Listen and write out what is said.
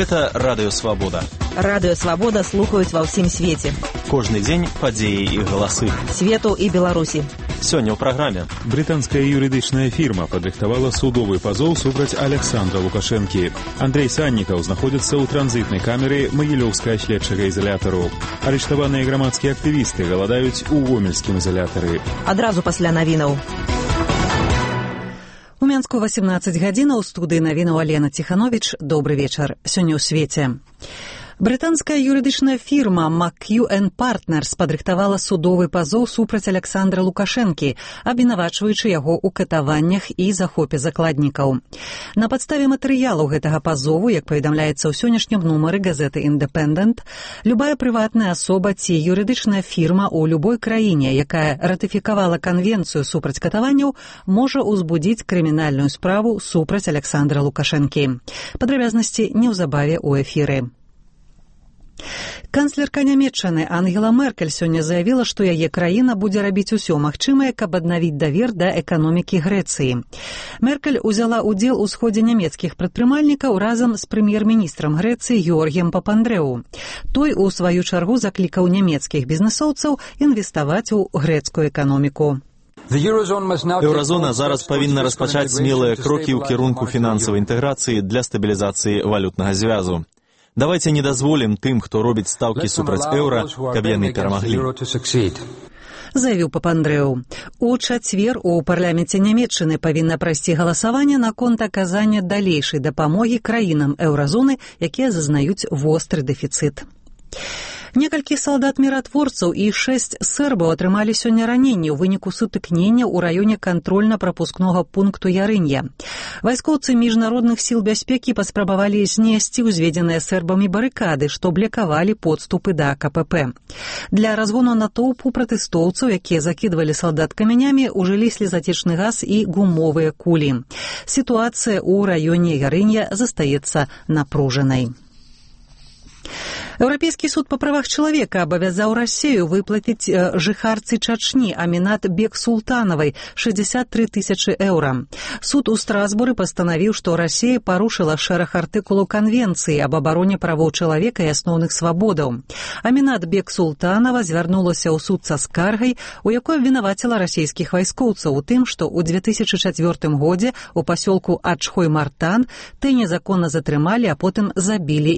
Гэта Радыё Свабода. Радыё Свабода слухаюць ва ўсім свеце. Кожны дзень падзеі і галасы. Свету і Беларусі. Сёння ў праграме. Брытанская юрыдычная фірма падрыхтавала судовы пазоў супраць Александра Лукашэнкі. Андрей Саннікаў знаходзіцца ў транзітнай камеры Магілёўскага следчага ізалятару. Арыштаваныя грамадскія актывісты галадаюць у гомельскім ізалятары. Адразу пасля навінаў. У Мінску 18 гадзінаў, у студыі навінаў Алена Ціхановіч. Добры вечар. Сёння ў свеце. Брытанская юрыдычная фірма McEwen Partners падрыхтавала судовы пазоў супраць Александра Лукашэнкі, абвінавачваючы яго ў катаваннях і захопе закладнікаў. На падставе матэрыялаў гэтага пазову, як паведамляецца ў сённяшнім нумары газеты «Independent», любая прыватная асоба ці юрыдычная фірма ў любой краіне, якая ратыфікавала канвенцыю супраць катаванняў, можа ўзбудзіць крымінальную справу супраць Александра Лукашэнкі. Падрабязнасці неўзабаве ў эфіры. Канцлерка Нямецчыны Ангела Меркель сёння заявіла, што яе краіна будзе рабіць усё магчымае, каб аднавіць давер да эканомікі Грэцыі. Меркель узяла ўдзел у сходзе нямецкіх прадпрымальнікаў разам з прэм'ер-міністрам Грэцыі Георгіем Папандрэу. Той, у сваю чаргу, заклікаў нямецкіх бізнэсоўцаў інвеставаць у грэцкую эканоміку. Еўразона зараз павінна распачаць смелыя крокі ў кірунку фінансавай інтэграцыі для стабілізацыі валютнага звязу. Давайте не дазволім тым, хто робіць стаўкі супраць еўра, каб яны перамаглі. Заявіў Папандрэу. У чацвер у парламенце Нямецчыны павінна прайсці галасаванне наконт аказання далейшай дапамогі краінам еўразоны, якія зазнаюць востры дэфіцыт. Некалькі салдат-міратворцаў і 6 сербаў атрымалі сёння раненні ў выніку сутыкнення ў раёне кантрольна-прапускнога пункту Ярынья. Вайскоўцы міжнародных сіл бяспекі паспрабавалі знесці ўзведзеныя сербамі барыкады, што блакавалі подступы да КПП. Для разгону натоўпу пратэстоўцаў, якія закідвалі салдат камянямі, ужылі слезацечны газ і гумовыя кулі. Сітуацыя ў раёне Ярынья застаецца напружанай. Еўрапейскі суд па правах чалавека абавязаў Расію выплаціць жыхарцы Чачні Амінат Бек-Султанавай 63 тысячы еўра. Суд у Страсбуры пастанавіў, што Расія парушыла шэраг артыкулаў канвенцыі аб абароне правоў чалавека і асноўных свабодаў. Амінат Бек-Султанава звярнулася ў суд са скаргай, у якой абвінаваціла расійскіх вайскоўцаў у тым, што ў 2004 годзе у пасёлку Ачхой-Мартан ты незаконна затрымалі, а потым забілі